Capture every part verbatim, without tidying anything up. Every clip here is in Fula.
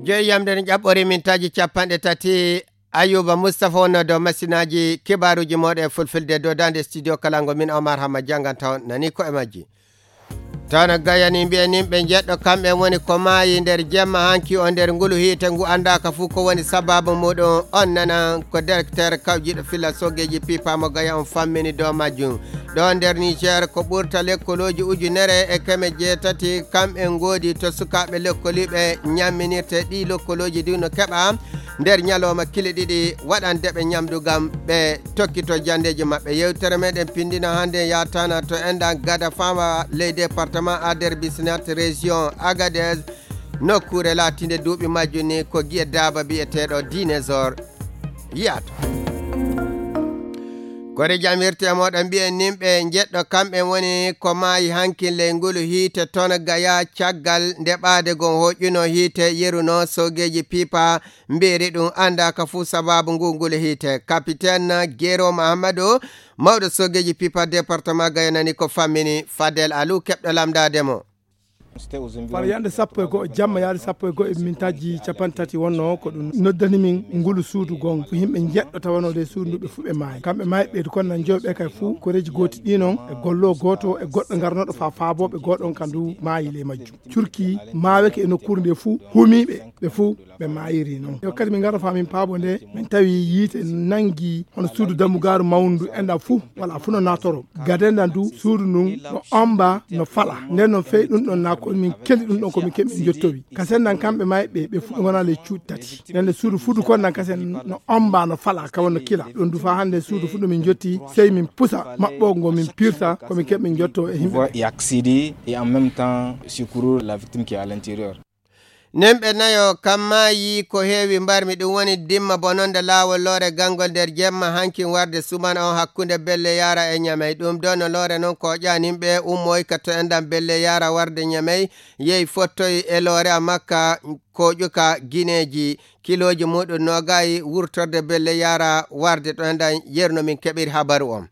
Jeeyam nden ƴaɓɓori mintaaji capanɗe tati. Ayuba Mustafa wonno dow masinaaji kibaaruuji mooɗon e fulfulde dow daande studio kalango min Omar Hamma jannganta on nani ko e majji. Tawno gayani mbiyen yimɓe njeɗɗo kamɓe woni ko maayi nder jemma hanki o nder ngulu hiite ngu anndaaka fuu ko woni sababu muɗum. On nanan ko directeur kawjiɗo filla soogeeji pipa mo gaya on fammini dow majjum. Ɗo nder Niger ko ɓurta lekkolooji ujunere e keme jeetati kamɓe ngoodi to sukaaɓe lekkoliiɓe ñamminirte. Ɗi lekkolooji du no keɓa nder ñalooma kile ɗiɗi waɗandeɓe ñamdu ngam ɓe tokkito janndeeji maɓɓe. Yewtere meɗen pindino hannde yaatana to enɗan gada fama ley département Ader Bisnat région Agadez, nokkuure laatinde duuɓi majjum ni ko giye daaba biyeteeɗo Dinosaure yiyata. Kore jamirte e moɗon mbiyen nimɓe njeɗɗo kamɓe woni ko maayi hankin ley ngulu hiite toon gaya caggal nde ɓaade gon hoƴƴuno hiite yeruno soogeeji pipa mbiiri ɗum anndaaka fuu sababu ngu ngulu hiite. Capitaine Gero Mahamadou, mawɗo soogeeji pipa département Gaya nani ko fammini. Fadel Alou keɓɗo lamndaade mo. Far yande sappo e go'o jamma yaade sappo e go'o e mintaaji capanɗe tati wonno ko ɗum noddani min ngulu suudu gon ko yimɓe njeɗɗo tawanoo e suudu ndu ɓe fuu ɓe maayi. Kamɓe maayi ɓeydu kon nan joyo ɓe kay fuu koreeji gooti ɗi non e gollo gooto e goɗɗo ngarnoɗo faa faabooɓe gooɗon ka ndu maayi ley majjum. Curki maaweke e nokkuure nde fuu humiiɓe ɓe fuu ɓe maayiri non. Yo kadi min ngara faa min paabo nde min tawi yiite nangi hono suudu dammugaaru mawndu enɗan fuu wala fuu no naatoro. Gade ndan du suudu ndun no omba no fala. Nden non fey ɗum ɗon na ko min keli ɗum ɗon ko min keɓi min jottowi. Kasen nan kamɓe maayɓe ɓe fuu ɓe ngonaa ley cuuɗi tati. Nden nde suudu fudu kon nan kasen no omba no fala ka wonno kila. Ɗum du faa hannde suudu fudu min jotti sey min pusa maɓɓo ngo min pirta ko min keɓi min jotto e yimɓe. Voir et accéder et en même temps secourir la victime qui est à l'intérieur. Nemɓe nayo kamma yii ko heewi mbarmi ɗum woni dimma bononde laawol loore gangol nder jemma hankin warde sumana on hakkunde belle yara e ñamey ɗum ɗo no loore non ko ƴanimɓe ummoy ka to enɗan belle yara warde ñamey yehi fottoy e loore a makka ko ƴuka gineeji kilooji muɗum nogayi wurtorde belle yara warde to enɗan yerno min keɓiri habaru on.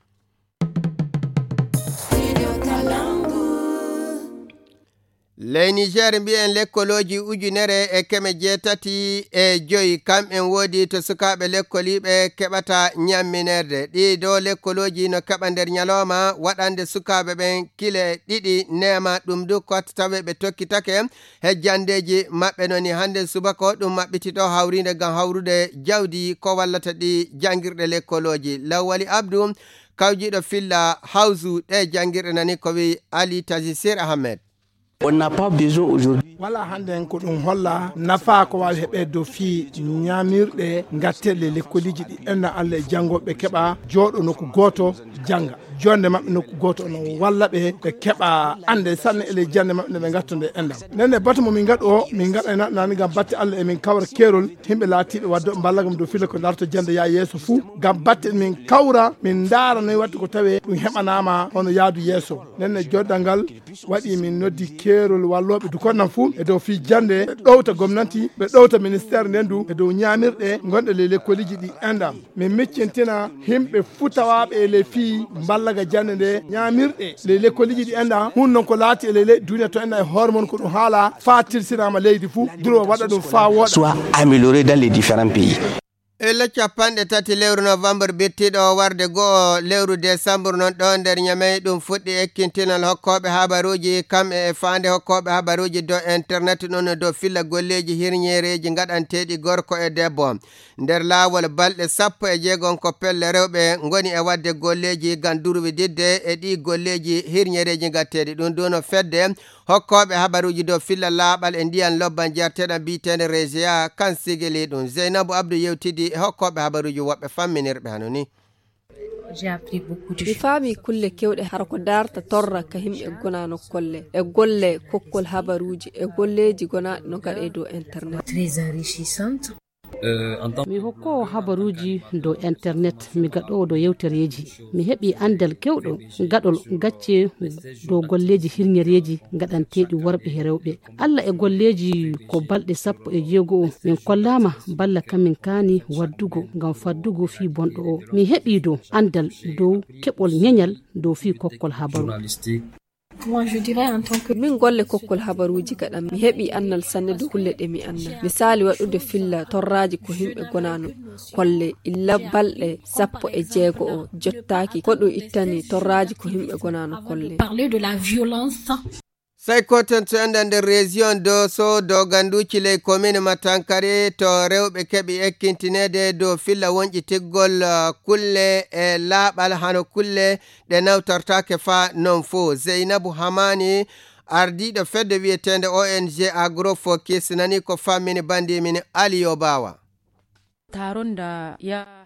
Ley Niger mbiyen lekkolooji ujunere e keme jeetati e joyi kamɓen woodi to sukaaɓe lekkoliiɓe keɓata ñamminerde. Ɗii ɗoo lekkolooji no keɓa nder ñalooma waɗande sukaaɓe ɓen kile ɗiɗi neema ɗum du kotta tawe ɓe tokkitake he janndeeji maɓɓe. Noni hannde subaka o ɗum maɓɓiti ɗoo hawriinde ngam hawrude jawdi ko wallata ɗi janngirɗe lekkolooji. Lawwali Abdu kawjiiɗo filla hawsu ɗe janngirɗe nani ko wi Ali Tazi Sir Ahmed. On n'a pas besoin aujourd'hui. Wala hannde en ko ɗum holla nafa ko waawi heɓeede dow fii ñaamirɗe ngattelle lekkoliiji ɗi enɗan Allah e janngo ɓe keɓa jooɗo nokku gooto jannga. Jonde maɓɓe nokku gooto no walla ɓe ɓe keɓa annde sanne e ley jannde maɓɓe nde ɓe ngatta nde enɗan. Nden ne batu mo min ngaɗu o min ngaɗa e naɗɗanaani ngam batte Allah e min kawra keerol yimɓe laatiiɓe waddoɓe mballagam dow filla ko larto jannde yaa yeeso fuu ngam batte min kawra min ndaara noy waɗde ko tawee ɗum heɓanaama hono yaadu yeeso. Nden ne joddal ngal waɗi min noddi keerol wallooɓe dukonnan fuu e dow fii jannde ɓe ɗowta gomnanti ɓe ɗowta ministeer nden du e dow ñaamirɗe ngonɗe ley lekkoliiji ɗi enɗan. Min miccintina yimɓe fuu tawaaɓe e ley fii mballaga jannde nde ñaamirɗe ley lekkoliiji ɗi enɗan hun non ko laati e ley leydi duniya to enɗan e hoore mon ko ɗum haala faa tilsinaama leydi fuu durwa waɗa ɗum faa wooɗa. Soit amélioré dans les différents pays. E le capanɗe tati lewru novembre bittiɗo warde go'o lewru décembre non ɗo nder ñamey ɗum fuɗɗi ekkintinal hokkooɓe habaruuji kam e faande hokkooɓe habaruuji dow internet ɗum no dow filla golleeji hirñeereeji ngaɗanteeɗi gorko e debbo. Nder laawol balɗe sappo e jeegom ko pelle rewɓe ngoni e waɗde golleeji ngam durwididde e ɗii golleeji hirñereeji ngatteeɗi ɗum duno fedde hokkooɓe habaruuji dow filla laaɓal e ndiyan lobban jarteɗan biyeteende reseya kan sigili ɗum zeynabu abdou yewtidi e hokkooɓe habaruuji woɓɓe famminirɓe hano ni. Mi faami kulle kewɗe hara ko daarta torra ka yimɓe gonaa nokkolle e golle kokkol habaruuji e golleeji gonaaɗi no gaɗee dow internet. Mi hokkoowo habaruuji dow internet mi gaɗoowo dow yewtereeji mi heɓi anndal kewɗo gaɗol gacce dow golleeji hirñereeji gaɗanteeɗi worɓe e rewɓe. Alla e golleeji ko balɗe sappo e jeego o min kollaama balla kamin kaani waddugo ngam faddugo fii bonɗo o. Mi heɓii dow anndal dow keɓol ñeñal dow fii kokkol habaru. Moi, je dirais en tant que min golle kokkol habaruuji gaɗan, mi heɓi annal sanne dow kulle ɗe mi annaa. Misaali waɗude filla torraaji ko yimɓe gonaano kolle illa balɗe sappo e jeego o jottaaki ko ɗum ittani torraaji ko yimɓe gonaano kolle. Parler de la violence. Sey koten to enda nder région Doso doganduuji ley commune Matankari to rewɓe keɓi ekkintineede dow filla wonƴitirgol kulle e laaɓal hano kulle ɗe nawtortaake faa non fo. Zeynabu Hamani, ardiiɗo fedde wiyeteende O N G Agro Focus, nani ko fammini bandi min Aliyo Bawa.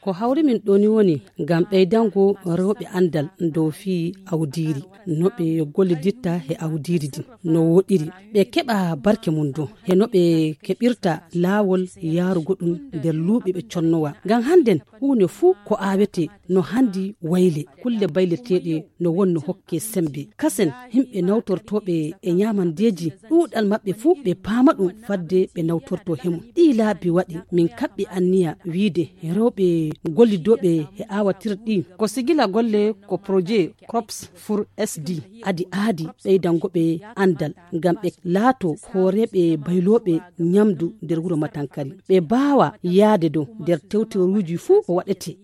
Ko hawri min ɗoni woni ngam ɓeydango rewɓe anndal dow fii awdiiri, no ɓe gollidirta he awdiiri ndin no woɗɗiri, ɓe keɓa barke mum dow he no ɓe keɓirta laawol yaarugo ɗum nder luuɓe ɓe connowa. Ngam hannden huunde fuu ko aawetee no hanndi wayle, kulle bayleteeɗe no wonno hokke semmbe. Kasen himɓe nawtortooɓe e ñaamandeeji ɗuuɗal maɓɓe fuu ɓe paama ɗum fadde ɓe nawtorto he mum. Ɗii laabi waɗi min kaɓɓi anniya wiide rewɓe gollidooɓe he aawatirɗi ko sigila golle ko projet Crops for S D adi aadi ɓeydango ɓe anndal ngam ɓe laato hooreeɓe baylooɓe ñamdu nder wuro Matankari. Ɓe baawa yaade dow nder tewteruuji fuu ko waɗetee.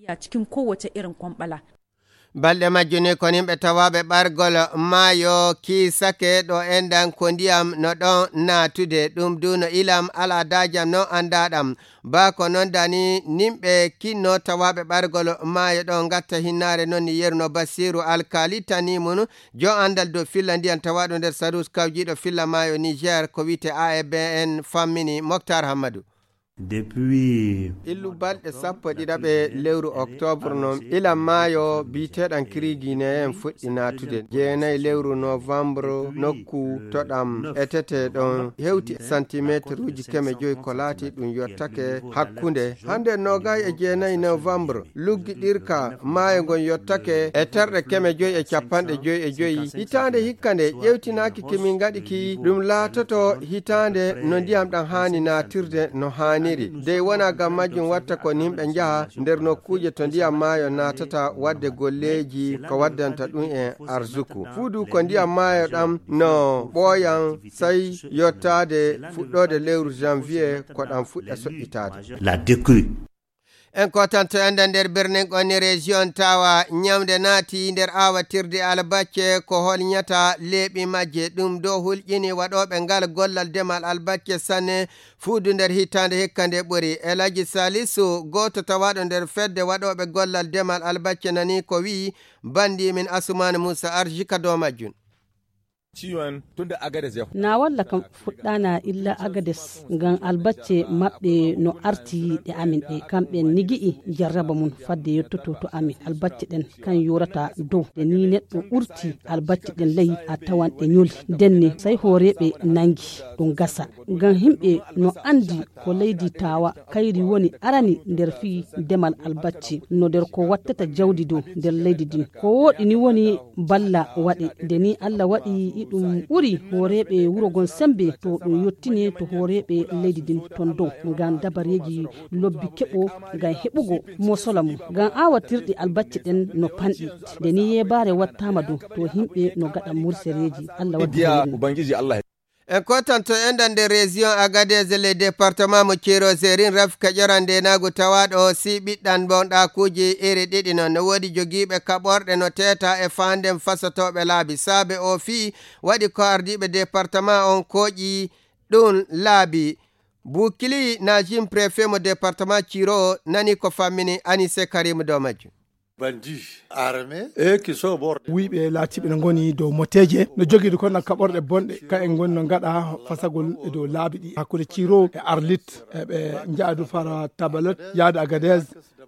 Balɗe majjuni ko yimɓe tawaaɓe ɓargol maayo kiisake ɗo enɗan ko ndiyam no ɗon naatude, ɗum du no ilam alaa daajam no anndaɗam. Baa ko non dani nimɓe kinno tawaaɓe ɓargol maayo ɗon ngatta hinnaare non ni yeruno Basiiru Alkaali tani mum jo anndal dow filla ndiyam tawaaɗo nder Sarus kawjiiɗo filla maayo Niger ko wiyte A E B N fammini Moktar Hammadu. Depuis illu balɗe sappo e ɗiɗaɓe lewru octobre non ilam maayo biyeteeɗam Kirigine en fuɗɗi naatude. Jeenayi lewru novembre nokku to ɗam etete ɗon hewti santimeteruuji keme joyi ko laati ɗum yottake hakkunde hannde noogay e jeenayi novembre luggiɗirka maayo ngon yottake e terɗe keme joyi e capanɗe joyi e joyi. Hitaande hikka nde ƴewtinaaki ki min ngaɗi ki ɗum laatoto hitaande no ndiyam ɗam haani naatirde no haaniri. Dey wona ngam majjum watta ko nimɓe njaha nder nokkuuje to ndiyam maayo naatata waɗde golleeji ko waddanta ɗum en arsuku. Fuu du ko ndiyam maayo ɗam no ɓooyan sey yottaade fuɗɗoode lewru janvier ko ɗam fuɗɗa soƴƴitaade. La décrue. En kotanto enda nder birnin onni région tawa ñamde naati nder awatirde albacce ko holñata leeɓi majje. Ɗum do hulƴini waɗooɓe ngal gollal demal albacce sanne fuudu nder hitaande hikka nde ɓuri. Elaji Salisu, gooto tawaaɗo nder fedde waɗooɓe gollal demal albacce nani ko wi'i bandi min Asumaana Muusa arji ka dow majjun. Na walla kam fuɗɗaana illa Agades ngam albacce maɓɓe no arti ɗe amin ɗe. Kamɓe nigi'i jarraba mum fadde yottoto to amin. Albacce ɗen kan yorata dow. Ɗe ni neɗɗo ɓurti albacce ɗen ley a tawan ɗe ñoli. Denne sey hooreeɓe nangi ɗum gasa. Ngam himɓe no andi ko leydi tawa kayri woni arani nder fii demal albacce no nder ko wattata jawdi dow nder leydi din. Ko wooɗi ni woni balla waɗe. Nde ni Allah waɗi iɗum ɓuri hooreeɓe wuro gon sembe to ɗum yottine to hooreeɓe leydi din ton dow. Ngam dabareeji lobbi keɓo ngam heɓugo mosola mum. Ngam awatirɗi albacce ɗen no panɗi. Nde ni yeebaare wattaama dow to himɓe no gaɗa mursereeji. Allah waɗi. En kotanto enda nder région Agadez le département mo Ciro Zerin rafika ƴoran ndenagu tawaɗo si ɓiɗɗan bonɗakuji iri ɗiɗi non no wodi jogiiɓe kaɓorɗe no teeta e fanden fasotooɓe laabi saabe o fii waɗi ko ardiiɓe département on kooƴi ɗum laabi. Bukili Najim préfet mo département Ciro nani ko fammini Anise Karim dow majjum. Wuyɓe laatiiɓe no ngoni dow moteeje no jogiiɗo kon kaɓorɗe bonɗe ka en ngoni no ngaɗa fasagol e dow laabi ɗi hakkunde Ciro e Arlit. Eɓe njaadu fara Tabalet yaade Agadez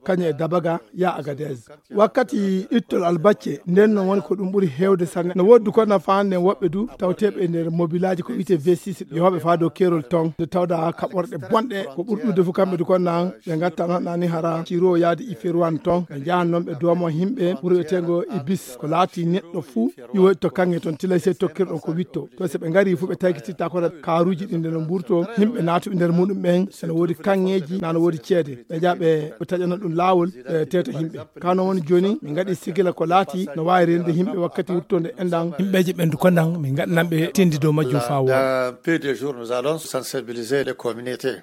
kañum e Dabaga ya Agadez. Wakkati ittol albacce nden no woni ko ɗum ɓuri heewde sanne. No woodi kon na faande woɓɓe du tawteeɓe e nder mobilaaji ko wiyte V six yooɓe faa dow keerol ton nde tawda kaɓorɗe bonɗe ko ɓuri ɗuuɗe fof kamɓe du kon nan ɓe ngatta noon nani hara Ciro yaade Iferuwan ton ɓe njahan noon ɓe Doomo himɓe wuro wiyeteengo Ibis, ko laati neɗɗo fuu iwoyɗo to kaŋŋe toon, tilay sey tokkirɗon ko witto. To so ɓe ngarii fuu, ɓe taykititta ko kaaruuji ɗin nde no mburto, yimɓe naatuɓe nder muɗum ɓen, so no woodi kaŋŋeeji, na no woodi ceede. Ɓe njaha ɓe taƴana ɗum laawol, ɓe teeta yimɓe. Ka non woni jooni, min ngaɗi sigila ko laati no waawi reenude yimɓe wakkati wurtude enɗan. Yimɓeeji ɓen du konɗan, min ngaɗanan ɓe tindi dow majjum faa wooɗa. Dans peu de jours, nous allons sensibiliser les communautés.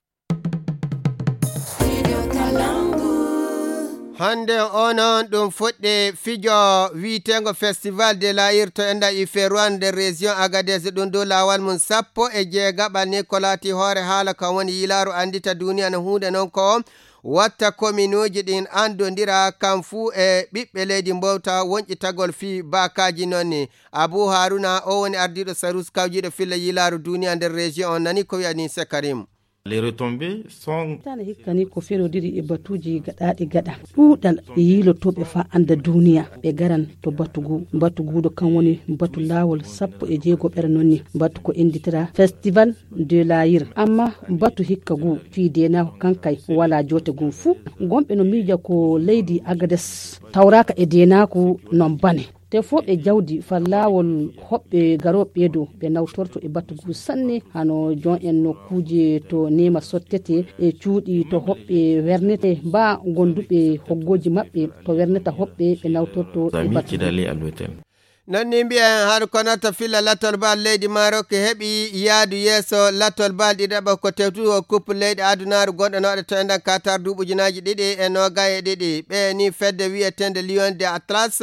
Hannde o noon ɗum fuɗɗi fijo wiyeteengo Festival de l'Aïr to enɗan Ifeerwan nder région Agadez, ɗum dow laawol mum sappo e jeegaɓal ni ko laati hoore haala kan woni yilaaru anndita duniya no huunde noon ko watta kominuuji ɗin anndondira kan fuu e ɓiɓɓe leydi mbowta wonƴitagol fii baakaaji noon ni. Abuu Haruna o woni ardiiɗo sarus kawjiiɗo filla yilaaru duniya nder région on nani ko wiya ni Sekarim. Les retombées sont Tana hikka ni ko ferodiri e batuuji gaɗaaɗi gaɗa. Ɗuuɗal e yiilotooɓe faa annda duuniya. Ɓe garan to batu ngu. Batu nguuɗo kan woni batu laawol sappo e jeego ɓere noon ni. Batu ko innditira Festival de l'Aïr. Amma batu hikka ngu fii deenaaku kan kay walaa joote ngun fuu. Gonɓe no miija ko leydi Agades tawraaka e deenaaku non bane. Te fof ɓe jawdi fa laawol hoɓɓe garooɓe ɓee dow, ɓe nawtorto e batu ngu sanne, hano jon en nokkuuje to neema sottete e cuuɗi to hoɓɓe wernete, mbaa gonduɓe hoggooji maɓɓe to werneta hoɓɓe, ɓe nawtorto e amis batu qui ngu. D'aller à l'hôtel. Non ni mbiyen har kono to filla latol bal leydi Maroc heɓi yaadu yeeso latol bal ɗiɗaɓo ko tewtugo coupe leyɗe adunaaru gonɗo no waɗa to enɗan Qatar duuɓi ujunaaji ɗiɗi e noogay e ɗiɗi. Ɓe ni fedde wi'eteende Lion de Atlas.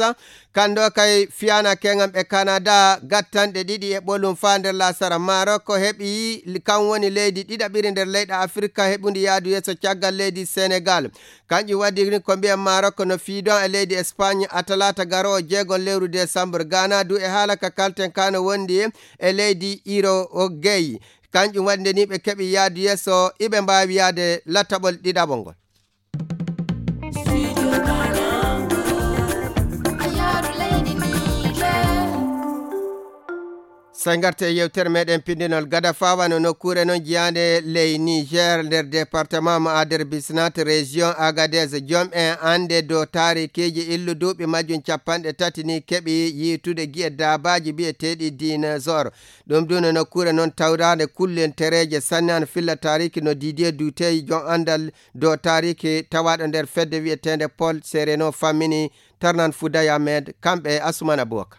Kando kay fiyana keŋam e Canada gattanɗe ɗiɗi e ɓolum faa nder lasara. Maroc heɓi kan woni leydi ɗiɗaɓiri nder leyɗe Afirka heɓundi yaadu yeeso caggal leydi Senegal. Kanƴum waɗi ni ko mbiyen Maroc no fiidon e leydi Espagne a talaata garoowo jeegon lewru décembre. Ghana du e haala ka kalten ka no wondi e leydi Uruguay. Kanƴum waɗi nde ni ɓe keɓi yaadu yeeso iɓe mbaawi yaade lataɓol ɗiɗaɓol ngol. Sey ngarte e yewtere meɗen pindinol gada fawa no nokkuure non jiyaande ley Niger nder département mo Ader Bisnat région Agadez. Jom en annde dow taarikiiji illu duuɓi majjum capanɗe tati ni keɓi yiitude gi'e daabaaji bi'eteeɗi dinosaure. Ɗum du no nokkuure non tawraande kullentereeje sanne an filla taariki no Didier Dutey jom anndal dow taariki tawaaɗo nder fedde wi'eteende Paul Sereno fammini tarnan Fouday Ahmed kamɓe e Asuman Abubakar.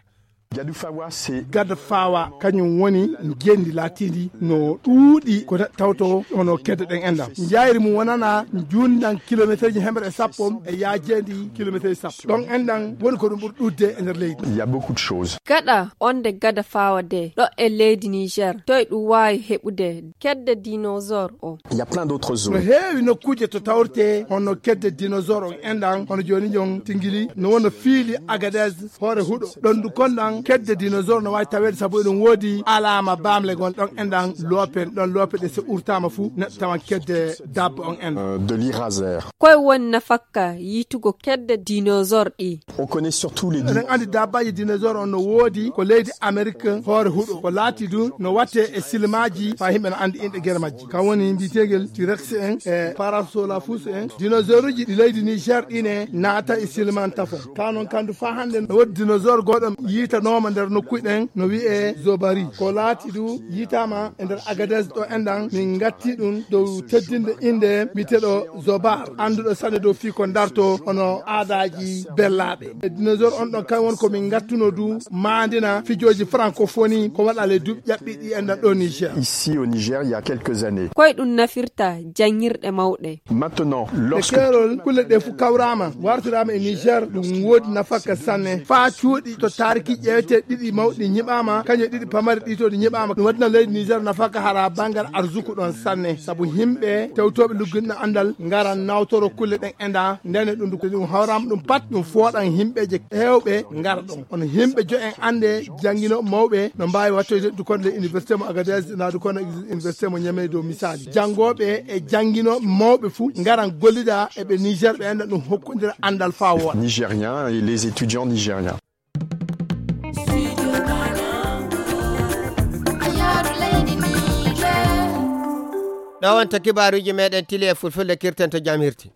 Gada fawa kañum woni ngenndi laatiindi no ɗuuɗi ko neɗɗo tawto hono kedde ɗen enɗam. Njayri mum wonana njunndan kilometerji hemre e sappo e yaajeendi kilometerji sappo. Ɗon enɗam woni ko ɗum ɓuri ɗuuɗde e nder leydi. Il y a beaucoup de choses. Gaɗa onde gada fawa de ɗo e leydi Niger, toy ɗum waawi heɓude kedde dinosaure o? Il y a plein d'autres zones. No heewi nokkuuje to tawrte hono kedde dinosaure on enɗam, hono jooni jon Tingili, no wona fiili Agadez, hoore huɗo. Ɗon du konɗan kedde dinosaure no waawi taweede sabu eɗum woodi alaama baamle gon ɗon enɗam loope, ɗon loope ɗe so urtaama fuu neɗɗo tawan kedde dabba on enɗam. Euh, de l'Iraser. Koye woni nafakka yiitugo kedde dinosaure ɗi? On connaît surtout les Eɗen anndi dabbaaji dinosaure on no woodi ko leydi Amerique hoore huɗo. Ko laati du no watte e silmaaji faa yimɓe no anndi inɗe gere majji. Kan woni mbiyeteegel T-Rex en e Parasaurolophus en. Dinosaure uji ɗi leydi Niger ɗi ne naata e silman tafon. Ka non kandu faa hannde no woodi dinosaure goɗɗo yiitanooma nder nokkuy ɗen no wi'e Zobari. Ko laati du yiitaama e nder Agadez ɗo enɗan min ngatti ɗum dow teddinde innde mbiyeteeɗo Zobar, annduɗo sanne dow fii ko darto hono aadaaji bellaaɓe. E dinosaure on ɗon kan woni ko min ngattuno du maandina fijooji francophonie ko waɗa le duuɓi ƴaɓɓiiɗi enɗan ɗo Niger. Ici au Niger, il y a quelques années. Koye ɗum nafirta janngirɗe mawɗe. Maintenant, e lorsque keerol kulle ɗe fuu kawraama, wartiraama e Niger, ɗum woodi nafakka sanne. Faa cuuɗi to taariki ƴeewete ɗiɗi mawɗi nyiɓaama, kañum e ɗiɗi pamari ɗi to ɗi nyiɓaama. Ɗum waɗina leydi Niger nafakka hara banngal arsuku ɗon sanne. Sabu yimɓe tewtooɓe lugginɗo anndal ngaran nawtoro kulle ɗen enɗan, ndene ɗum, ɗum hawraama ɗum pat, ɗum fooɗan yimɓeeje heewɓe ngara ɗon. Hono yimɓe jo'en annde jannginooɓe mawɓe no mbaawi wattoyde du kono le université mo Agadez, na du kono université mo Niamey dow misaali. Janngooɓe e jannginooɓe mawɓe fuu ngaran gollida e ɓe Niger ɓe enɗan ɗum hokkondira anndal faa wooɗa. Nigériens et les étudiants nigériens. Ɗo wonta kibaaruuji meɗen tili e fulfulde kirten to jam hirti.